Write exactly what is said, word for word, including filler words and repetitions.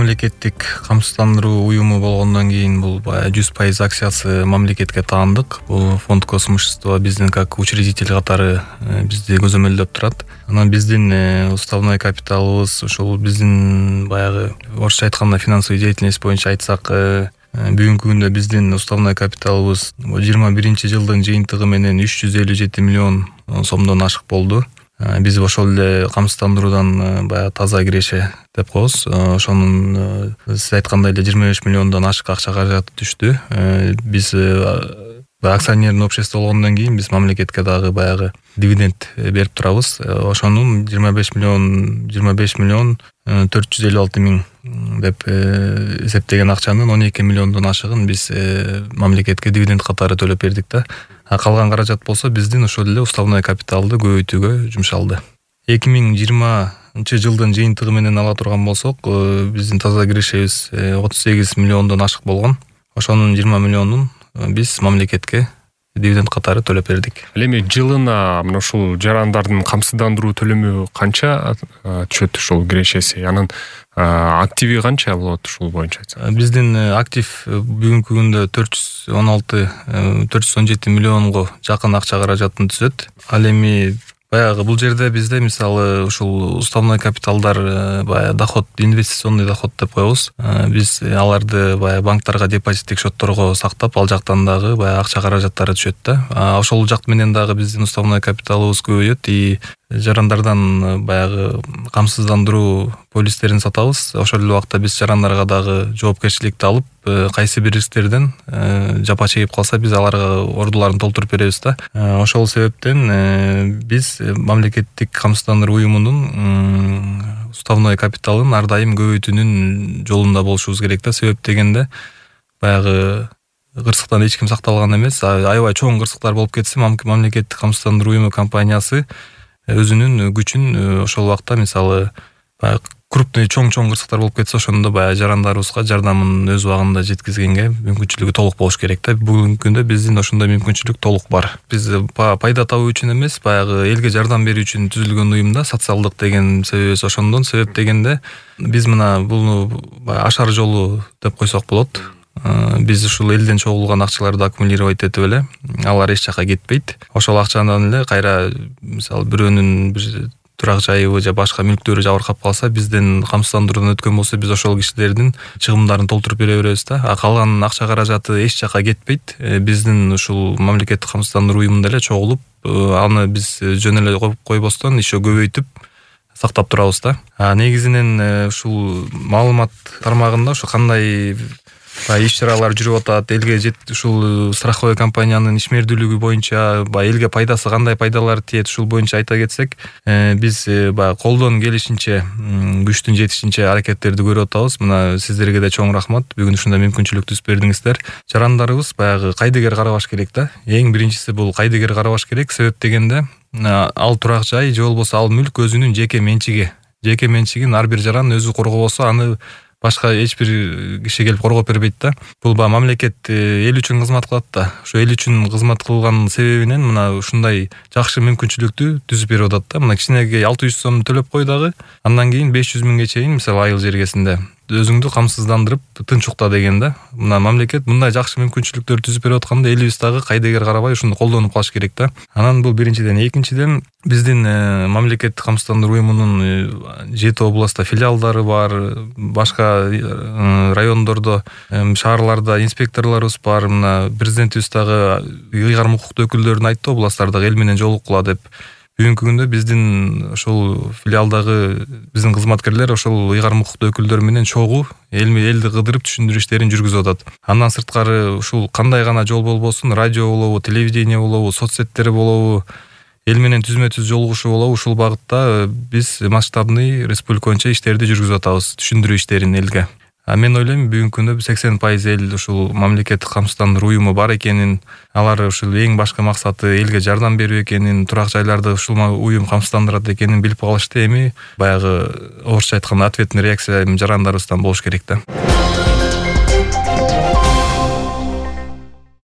мамлекеттик камсыздандыруу уюму болгондон кийин бул баягы жүз пайыз акциясы мамлекетке таандык. Бул фонд Космощество биздин как учредитель катары бизди көзөмөлдөп турат. Анан биздин уставной капиталыбыз ушул биздин баягы орусча айтканда финансовый деятельность боюнча айтсак, бүгүнкү күндө биздин уставной капиталыбыз жыйырма биринчи жылдын жыйынтыгы менен үч жүз элүү жети миллион сомдон ашык болду. Биз ошол эле камсыздандыруудан баягы таза киреше деп коебуз. Ошонун сиз айткандай эле жыйырма беш миллиондон ашык акча каражаты түштү. Биз акционерный общество болгондон кийин биз мамлекетке дагы баягы дивиденд берип турабыз. Ошонун жыйырма беш миллион жыйырма беш миллион төрт жүз элүү алты миң деп эсептеген акчанын он эки миллиондон ашыгын биз мамлекетке дивиденд катары төлөп бердик да. А калган каражат болсо биздин ошол эле уставной капиталды көбөйтүүгө жумшалды. эки миң жыйырманчы жылдын жыйынтыгы менен ала турган болсок, биздин таза кирешебиз отуз сегиз миллиондон ашык болгон. Ошонун жыйырма миллионун биз мамлекетке дивиденд катары төлөп бердик. Ал эми жылына мына ушул жарандардын камсыздандыруу төлөмү канча түшөт ушул кирешеси? Анын активи канча болот ушул боюнча айтсак? Биздин актив бүгүнкү күндө төрт жүз он алты төрт жүз он жети миллионго жакын акча каражатын түзөт. Ал эми баягы бул жерде бизде мисалы ушул уставной капиталдар баягы доход, инвестиционный доход деп коебуз. Биз аларды баягы банктарга депозиттик счетторго сактап, ал жактан дагы баягы акча каражаттары түшөт да. Ошол жак менен дагы биздин уставной капиталыбыз көбөйөт и жарандардан баягы камсыздандыруу полистерин сатабыз. Ошол эле убакта биз жарандарга дагы жоопкерчиликти алып, кайсы бир рисктерден жапа чегип калса биз аларга ордуларын толтуруп беребиз да. Ошол себептен биз мамлекеттик камсыздандыруу уюмунун уставной капиталын ар дайым көбөйтүүнүн жолунда болушубуз керек да. Себеп дегенде баягы кырсыктан эч ким сакталган эмес. Аябай чоң кырсыктар болуп кетсе, мамлекеттик камсыздандыруу уюму компаниясы өзүнүн күчүн ошол убакта мисалы крупный чоң-чоң кырсыктар болуп кетсе, ошондо баягы жарандарыбызга жардамын өз убагында жеткизгенге мүмкүнчүлүгү толук болуш керек да. Бүгүнкү күндө биздин ошондой мүмкүнчүлүк толук бар. Биз пайда табуу үчүн эмес, баягы элге жардам берүү үчүн түзүлгөн уюмда, социалдык деген себебибиз ошондон. Себеп дегенде биз мына бул ашар жолу деп койсок болот. Биз ушул элден чогулган акчаларды аккумулировать этип эле, алар эч жака кетпейт. Ошол акчадан эле кайра мисалы бирөөнүн бир турак жайыбы же башка мүлктөрү жабыркап калса, бизден камсыздандыруудан өткөн болсо, биз ошол кишилердин чыгымдарын толтуруп бере беребиз да. А калган акча каражаты эч жака кетпейт. Биздин ушул мамлекеттик камсыздандыруу уюмунда эле чогулуп, аны биз жөн эле коюп койбостон еще көбөйтүп сактап турабыз да. А негизинен ушул маалымат тармагында ушу кандай иш-чаралар жүрүп атат, элге жет ушул страховой компаниянын ишмердүүлүгү боюнча, баягы элге пайдасы кандай пайдалар тиет, ушул боюнча айта кетсек, биз баягы колдон келишинче, күчтүн жетишинче аракеттерди көрүп атабыз. Мына сиздерге да чоң рахмат. Бүгүн ушундай мүмкүнчүлүк түзүп бердиңиздер. Жарандарыбыз баягы кайдыгер карабаш керек да. Эң биринчиси бул кайдыгер карабаш керек. Себеп дегенде ал турак жай же болбосо ал мүлк өзүнүн жеке менчиги. Жеке менчигин ар бир жаран өзү коргобосо, аны башка эч бир киши келип коргоп бербейт да. Бул ба мамлекет эл үчүн кызмат кылат да. Ошо эл үчүн кызмат кылган себебинен мына ушундай жакшы мүмкүнчүлүктү түзүп берип атат да. Мына кичинеге алты жүз сом төлөп кой дагы, андан кийин беш жүз миңге чейин мисалы айыл жергесинде өзүңдү камсыздандырып тынч укта деген да. Мына мамлекет мындай жакшы мүмкүнчүлүктөр түзүп берип атканда, элибиз дагы кайдыгер карабай ушуну колдонуп калыш керек да. Анан бул биринчиден. Экинчиден, биздин мамлекеттик камсыздандыруу уюмунун жети областта филиалдары бар, башка райондордо, шаарларда инспекторлорубуз бар. Мына президентибиз дагы ыйгарым укуктуу өкүлдөрүн айтты, областтардагы эл менен жолуккула деп. Бүгүнкү күндө биздин ошол филиалдагы биздин кызматкерлер ошол ыйгарым укуктуу өкүлдөр менен чогуу элми элди кыдырып түшүндүрүү иштерин жүргүзүп атат. Андан сырткары ушул кандай гана жол болбосун, радио болобу, телевидение болобу, соцсеттер болобу, эл менен түзмө-түз жолугушуу болобу, ушул багытта биз масштабный республика боюнча иштерди жүргүзүп атабыз, түшүндүрүү иштерин элге. А мен ойлойм, бүгүнкү күндө сексен пайыз эл ушул мамлекеттик камсыздандыруу уюму бар экенин, алар ушул эң башкы максаты элге жардам берүү экенин, турак жайларды ушул уюм камсыздандырат экенин билип калышты. Эми баягы орусча айтканда ответный реакция жарандарыбыздан болуш керек да.